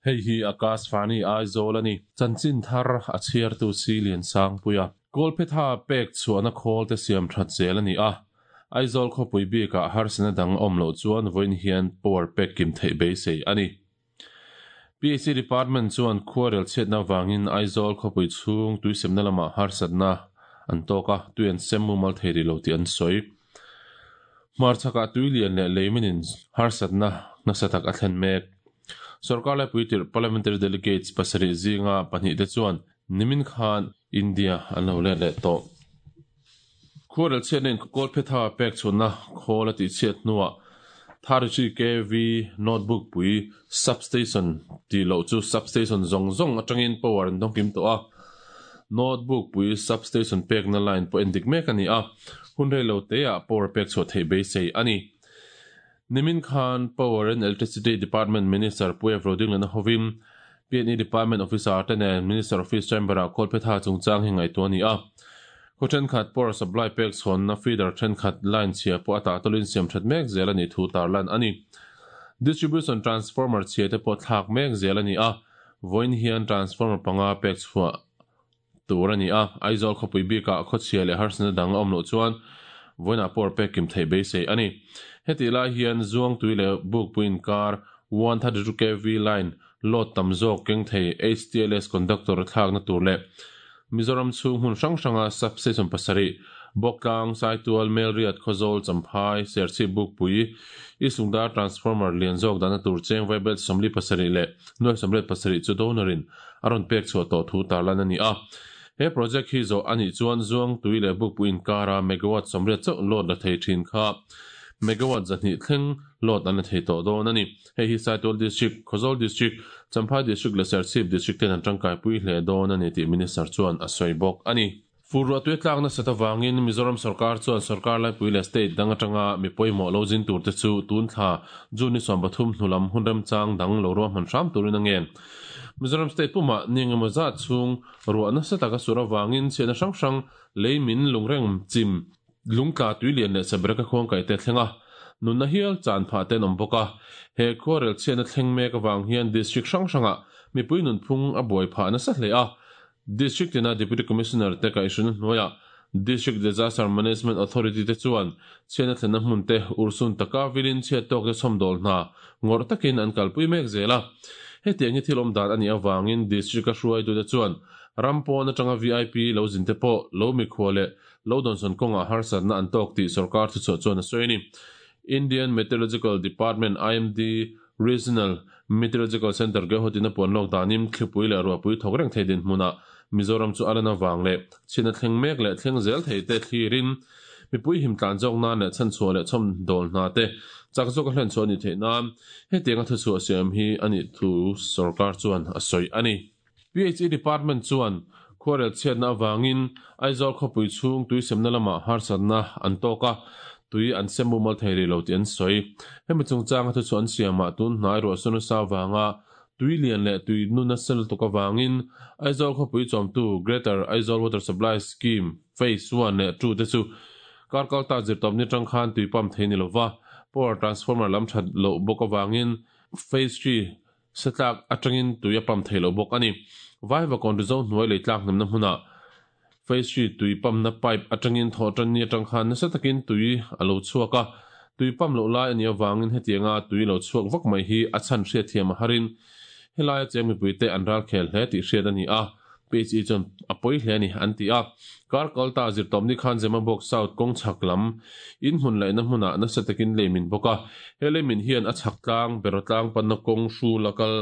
Hei hi Akashvani Aizawl a ni. Chanchin thar a chhiartu si Liansangpuia. Kawlphetha pek chhuahna khawl te siam that zel a ni a. Aizawl khawpui bikah harsatna dang a awm loh chuan vawiin hian power pek kim theih beisei a ni. PAC Department chuan khuarel chhiatna avangin Aizawl khawpui chhung tuisemna lamah harsatna an tawk a, tui an sem mumal thei rih lo tih an sawi. Hmarchhakah tui lian leh leiminin harsatna nasa tak a thlen mek. Sorkar laipui tirh Parliamentary Delegates pasarih zinga pahnihte chuan nimin khan India an lo let leh tawh. Khuarel chhiatna in Kawlphetha pek chhunna khawl a tihchhiat hnuah 33 KV notebook pui substation tih loh chu substation zawng zawng atangin power an dawng kim tawh a. Notebook pui substation pekna line pawh endik mek a ni a, hun rei lo teah power pek chhuah theih beisei a ni. Nimin khan Power and Electricity Department Minister Pu Ev Rodinglana hovin PNE Department Officer te nen Minister Office Chamber-ah Kawlphetha chungchang hi ngaihtuah a ni a. Khaw thenkhat power supply pek chhawnna feeder thenkhat line chhia pawh a tah tawlin siam that mek zel a nih thu tarlan a ni. Distribution transformer chhia te pawh thlak mek zel a ni a, vawiin hian transformer panga pek chhuah tur a ni a, Aizawl khawpui bikah khawchhia leh harsatna dang a awm loh chuan vawiinah power pek kim theih beisei a ni. Hetih lai hian Zuangtui leh Bukpui inkar 132 kv line load tam zawk keng thei HTLS conductor thlakna tur leh Mizoram chhung hmun hrang hranga substation pasarih, Bawktlang, Saitual, Melriat, Khawzawl, Champhai, Serchhip, Bukpui, Isungdar transformer lian zawk dahna tur cheng vaibelt 47 leh nuai 87 chu donor-in a rawn pek chhuah tawh thu tarlan a ni a. He project hi zawh a nih chuan Zuangtui leh Bukpui inkara megawatt 80 chauh load la thei thin kha megawatt 200 thleng load an la thei tawh dawn a ni. Hei hi Saitual District, Khawzawl District, Champhai District leh Serchhip District ten an tangkaipui hle dawn a ni tih Minister chuan a sawi bawk a ni. Fur ruah tui a tlak nasat avangin Mizoram sorkar chuan sorkar laipui leh state dang atanga mi pawimawh lo zin turte chu tun thla June ni 13 hnu lam hun remchang dang lo ruahman hram turin a ngen. Mizoram state pumah ni engemaw zat chhung ruah nasa taka sur avangin chhiatna hrang hrang lei min lungreng chim Lungtla tui lian leh sabereka khuangkaih te thleng a, nunna hial chan phah te an awm bawk a. He khuarel chhiatna thleng mek avang hian district hrang hrangah mipui nunphung a buai phah nasa hle a. District tina Deputy Commissioner te kaihhruina hnuaiah District Disaster Management Authority te chuan chhiatna thlenna hmun te urhsun taka vilin chhiat tawk te chhawmdawl hna ngawrh takin an kalpui mek zel a. Hetiang hi thil awm dan a nih avangin District-a hruaitute chuan ram pawn atanga VIP lo zin te pawh lo mikhua leh Lo dawnsawn kawngah harsatna an tawk tih sorkar thuchhuah chuan a sawi a ni. Indian Meteorological Department, IMD, Regional Meteorological Centre Guwahati-in a puan lawk danin thlipui leh ruahpui thawk reng thei dinhmunah Mizoram chu a lan avang leh chhina thleng mek leh thleng zel thei te thlirin mipui him tlan zawk nan leh chhanchhuah leh chhawmdawl hna te chak zawka hlenchhuah a nih theih nan hetianga thuchhuah siam hi a nih thu sorkar chuan a sawi a ni. PHE Department chuan khuarel chhiatna avangin Aizawl khawpui chhung tui semna lamah harsatna an tawk a, tui an sem mumal thei rih lo tih an sawi. Hemi chungchanga thuchhuah an siamah tun hnai ruahsur nasa avanga tui lian leh tui nu nasa lutuk avangin Aizawl khawpui chawmtu Greater Aizawl Water Supply Scheme Phase One leh Two te chu kar kalta zirtawpni atang khan tui pump thei ni lova power transformer lam that loh bawk avangin Phase Three Satlak atangin tui a pump thei lo bawk a ni. Vaivakawn Rizo hnuai lei tlak hnemna hmunah Phase Three tui pump-na pipe atangin thawhtanni atang khan nasa takin tui a lo chhuak a, tui pump loh lai a nih avangin hetianga tui lo chhuak vak mai hi a chhan hriatthiam a harin helaia cheng mipuite an ralkhel hle tih hriat a ni a. PHE chuan a pawi hle a ni an ti a. Kar kalta zirtawpni khan Zemabawk South kawng chhak lam in hmun laihna hmunah nasa takin lei min bawk a. He lei min hian a chhak tlang, beraw tlang panna kawng hru la kal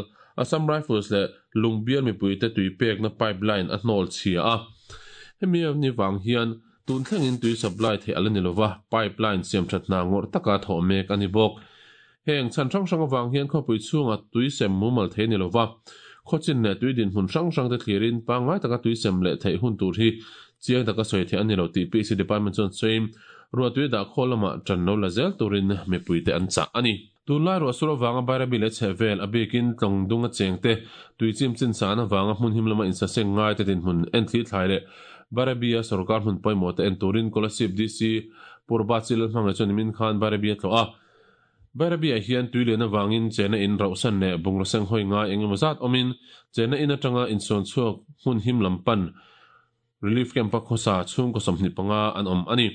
Assam Rifles leh Lungbial mipuite tui pekna pipe line a hnawl chhia a. Hemi ni vang hian tun thlengin tui supply theih a la ni lova, pipe line siamthat hna ngawrh taka thawh mek a ni bawk. Heng chhan hrang hrang avang hian khawpui chhunga tui sem mumal thei ni lova, khawchin leh tui dinhmun hrang hrang te thlirin pangngai taka tui sem leh theih hun tur hi chiang taka sawi theih a ni lo tih PC Department chuan sawiin ruahtui dah khawl lamah ṭan lo la zel turin mipuite an chah a ni. Tunlai ruahsur avanga Bairabi leh chhehvel a bikin tlawng dunga chengte tui chim chin san avanga hmun him lama insaseng ngaite dinhmun enthli thlai leh Bairabi-a sorkar hmun pawimawh te en turin Kolasib DC Purba Chilal hmangaih chuan nimin khan Bairabi a tlawh a. Bairabi-ah hian tui lian avangin chenna in rauhsan leh bungraw senghawi ngai eng emaw zat awmin chenna in atanga insawn chhuak hmun him lam pan Relief Camp-a khawsa chhungkaw 25 an awm a ni.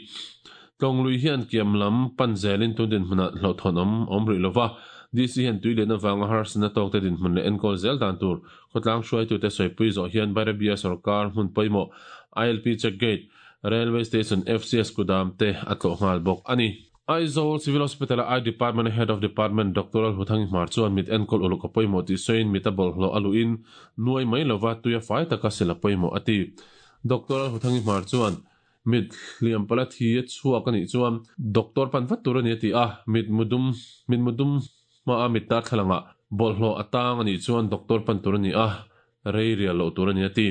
Tlawnglui hian kiam lam pan zelin tun dinhmunah hlauhthawn awm awm rih lova, DC hian tui lian avanga harsatna tawkte dinhmun leh enkawl zel dan tur khawtlang hruaitute sawipui zawh hian Bairabi-a sorkar hmun pawimawh ILP Check Gate, Railway Station, FCS kudam te a tlawh nghal bawk a ni. Aizawl Civil Hospital-a Eye Department-a Head of Department Doctor Lalhuthangi Hmar chuan mit enkawl uluk a pawimawh tih sawiin mit a bawlhhlawh a luhin nuai mai lova tui a fai taka sil a pawimawh a ti. Doctor Lalhuthangi Hmar chuan mit hliam pala thi a chhuak a nih chuan doctor pan vat tur a ni a ti a, mit mudum mit mudum hmaa mit darthlalangah bawlhhlawh a tang a nih chuan doctor pan tur a ni a, rei rial loh tur a ni a ti.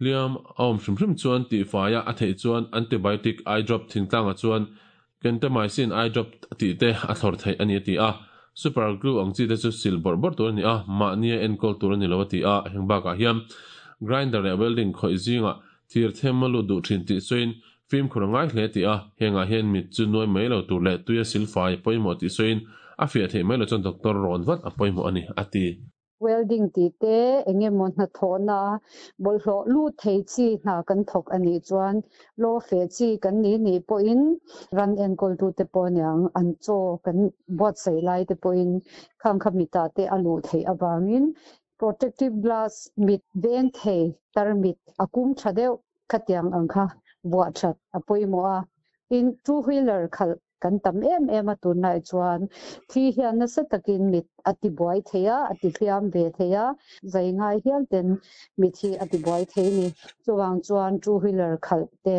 Hliam a awm hrim hrim chuan tihfaia a theih chuan antibiotic eye drop thingtlangah chuan Gentamicin eye drop tih te a thlawr theih a ni a ti a. Super glue ang chi te chu sil bawrh bawrh tur a ni a, mahnia enkawl tur a ni lo a ti a. Heng bakah hian grinder leh welding khawih zingah thir them a lut duh thin tih sawiin fimkhur a ngai hle a ti a. Hengah hian mit chu nuai mai lo tur leh tuia silfai pawimawh tih sawiin a fiah theih mai lo chuan doctor rawn vat a pawimawh a ni a ti. Welding tih te, eng emaw hnathawhna bawlhhlawh lut thei chi hna kan thawk a nih chuan law feh chi kan nih nih pawhin ran enkawltute pawh aniang an chaw kan buatsaih lai te pawhin khang kha mitah te a luh theih avangin protective glass mit veng thei tarmit a kum tha deuh khatiang ang kha vuah that a pawimawh a. Tin, two wheeler khalh Kan tam em em a tunlai chuan thi hian nasa takin mit a ti buai thei a, a ti hliam ve thei a, zai ngai hial ten mit hi a ti buai thei ni. Chuvang chuan two wheeler khalh te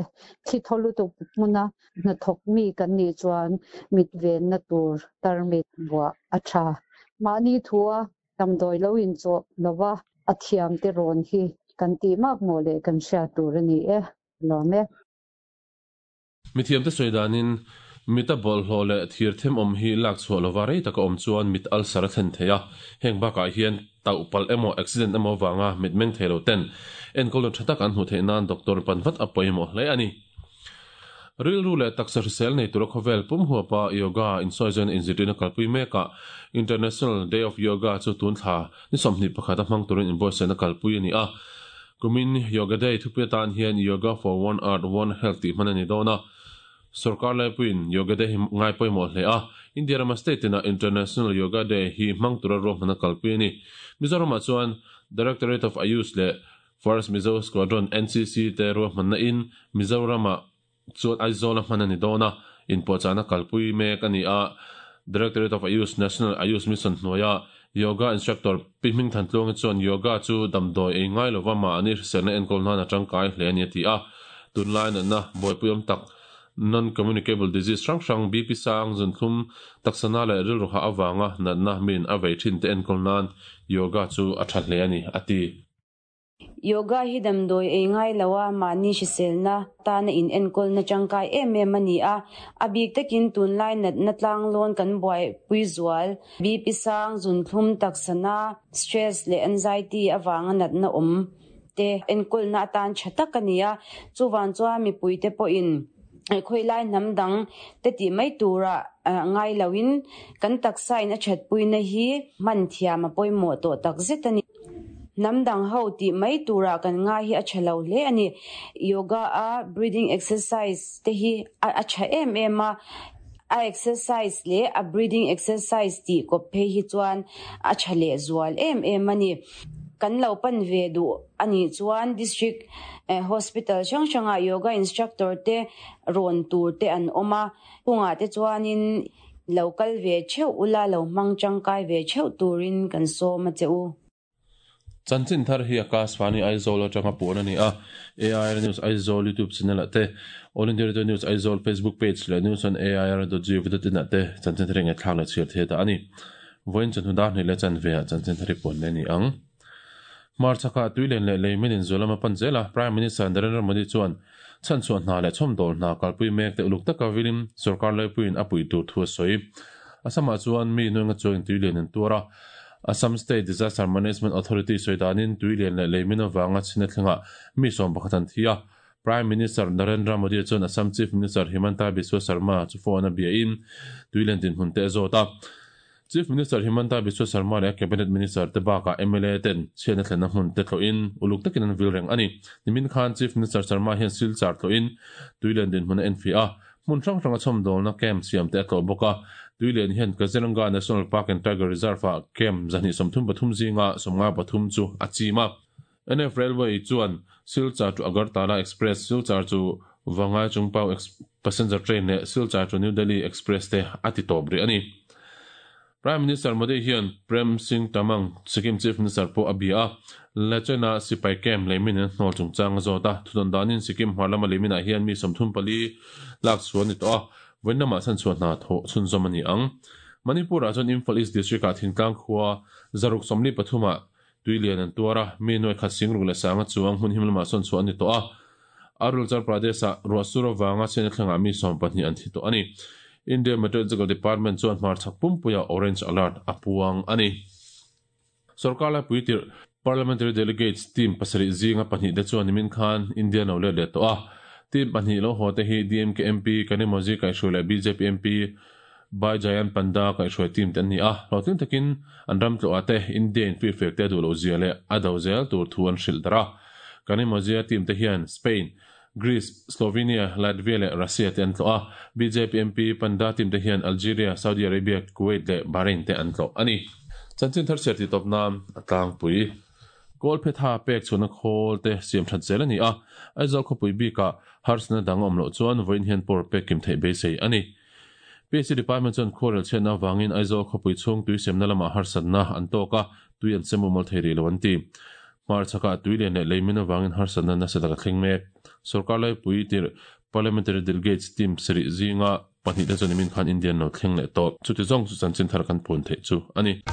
thi thaw lutuk hmuna hnathawk mi kan nih chuan mit venna tur tarmit buah a tha. Mahni thua damdawi lo inchawh lova a thiam te rawn hi kan tih mak maw leh kan hriat tur a ni e. Lawm e. Mithiamte sawi danin, mita bawlhhlawh leh thir them awm hi lak chhuah lova rei taka awm chuan mit ulcer a thlen thei a, heng bakah hian tauh palh emaw accident emaw avanga mit meng thei lo ten enkawlna tha tak an hmuh theih nan doctor pan vat a pawimawh hle a ni. Rilru leh taksa hrisel nei tura khawvel pum huapa yoga insawizaina inzirtirna kalpui mekah International Day of Yoga chu tun thla ni 21 a hmang turin inbuatsaihna kalpui a ni a. Kumin Yoga Day thupui atan hian Yoga for One Earth, One Health tih hman a ni dawn a. Sorkar laipuiin Yoga Day hi ngai pawimawh hle a, India rama state tinah International Yoga Day hi hmang tura ruahman a kalpui a ni. Mizoramah chuan Directorate of Ayush leh First Mizo Squadron NCC te ruahmanna in Mizoramah chuan Aizawl-a hman a ni dawn a, inpuahchahna kalpui mek a ni a. Directorate of Ayush National Ayush Mission hnuaia Yoga Instructor Pi Hmingthantluangi chuan Yoga chu damdawi ei ngai lova mahni hriselna enkawl nan a tangkai hle a ni a ti a. Tunlai natna buaipuiawm tak Non-communicable disease hrang hrang, BP sang, zunthlum, taksana leh rilru hah avanga natna min a vei thin te enkawl nan Yoga chu a tha hle a ni a ti. Yoga hi damdawi ei ngai lo a, mahni hriselna tana in enkawlna tangkai em em a ni a. A bik takin tunlai natna tlanglawn kan buaipui zual, BP sang, zunthlum, taksana, stress leh anxiety avanga natna awm te enkawlna atan tha tak a ni a. Chuvang chuan mipuite pawhin khawilai hnam dang te tih mai tura ngai loin kan taksa in a thatpuina hi hman thiam a pawimawh tawh takzet a ni. Hnam dang ho tih mai turah kan ngai hi a tha lo hle a ni. Yoga a breathing exercise te hi a tha em em a, a exercise leh a breathing exercise tih kawp phei hi chuan a tha leh zual em em a ni. Kan lo pan ve duh a nih chuan district hospital hrang hrangah yoga instructor te rawn tur te an awm a, kungah te chuanin Lo kal ve theuh ula, lo hmang tangkai ve theuh turin kan sawm a che u. Chanchin thar hi Akashvani Aizawl atanga puan a ni a, AIR News Aizawl YouTube channel ah te, All India Radio News Aizawl Facebook page leh News on AIR dot gov dot in ah te chanchin thar hi ngaihthlak leh chhiar thei ta a ni. Vawiin chawhnu dar hnih leh chanve ah chanchin thar hi puan leh a ni ang. Hmarchhakah tuilen leh leimin inzual lama pan zel a, Prime Minister Narendra Modi chuan chhanchhuah hna leh chhawmdawl hna kalpui mek te uluk taka vilim sorkar laipuiin a puih tur thu a sawi. Assam-ah chuan mi nuainga chuangin tuilian an tuar a, Assam State Disaster Management Authority sawi danin tuilian leh leimin avanga chhina thlengah mi 11 an thi a. Prime Minister Narendra Modi chuan Assam Chief Minister Himanta Biswa Sarma chu phone a biain tuilian dinhmun te a zawt a. Chief Minister Himanta Biswa Sarma leh a Cabinet Minister te bakah mla ten chhiatna thlenna hmun te tlawhin uluk takin an vil reng a ni. Nimin khan Chief Minister Sarma hian Silchar tlawhin tuilian dinhmun a enfiah a, hmun hrang hranga chhawmdawlna camp siam te a tlawh bawk a. Tuilian hian Kaziranga National Park and Tiger Reserve-ah camp 233 zinga 53 chu a chim a. NF Railway chuan Silchar to Agartala Express, Silchar to Vangai Chungpau Passenger Train leh Silchar to New Delhi Express te a ti tawp rih a ni. Prime Minister Modi hian Prem Singh Tamang, Sikkim Chief Minister pawh a bia a, Lachena sipai camp leimin an hnawl chungchang a zawt a. Thudawn danin Sikkim hmar lama leiminah hian mi 34 lak chhuah a ni tawh a, vawiin lamah chhanchhuah hna thawh chhunzawm a ni ang. Manipur-ah chuan Imphal East District-ah thingtlang khua 143 ah Tui lian an tuar a, mi nuai khat singruk leh sanga chuang hmun him lamah sawn chhuah a ni tawh a. Arunachal Pradesh-ah ruah sur avanga chhiatna thlengah mi 12 an thi tawh a ni. India Meteorological Department chuan hmarchhak pumpuiah Orange Alert a puang a ni. Sorkar laipui tirh Parliamentary Delegates team pasarih zinga pahnih te chuan nimin khan India lo let leh tawh a. Team pahnih lo haw te hi DMK MP Kanimozhi Kaihhruai leh bjp MP Bai Jayan Panda kaihhruai team te an ni a, hlawhtling takin an ram tlawhah te India in firfiak te a duh loh zia leh a do zel tur thu an hrilh darh a. Kanimozia team te hian Spain, Greece, Slovenia, Latvia leh Russia te an tlawh a, bjp MP Panda team te hian Algeria, Saudi Arabia, Kuwait leh Bahrain te an tlawh a ni. Chanchin thar chhiar tih tawp nan a tlangpui. Kawlphetha pek chhuahna khawl te siam that zel a ni a, Aizawl khawpui bikah harsatna dang a awm loh chuan vawiin hian pawr pek kim theih beisei a ni. PHC Department chuan khuarel chhiatna avangin Aizawl khawpui chhung tui semna lamah harsatna an tawk a, tui an sem umal thei rih lo an ti. Hmarchhakah tui lian leh leimin avangin harsatna nasa tak a thleng mek. Sorkar laipui tirh Parliamentary Delegates team sarih zinga pahnih te chuan nimin khan India an lo thleng leh tawh. Chuti zawng chu chanchin thar kan puan theih chu a ni.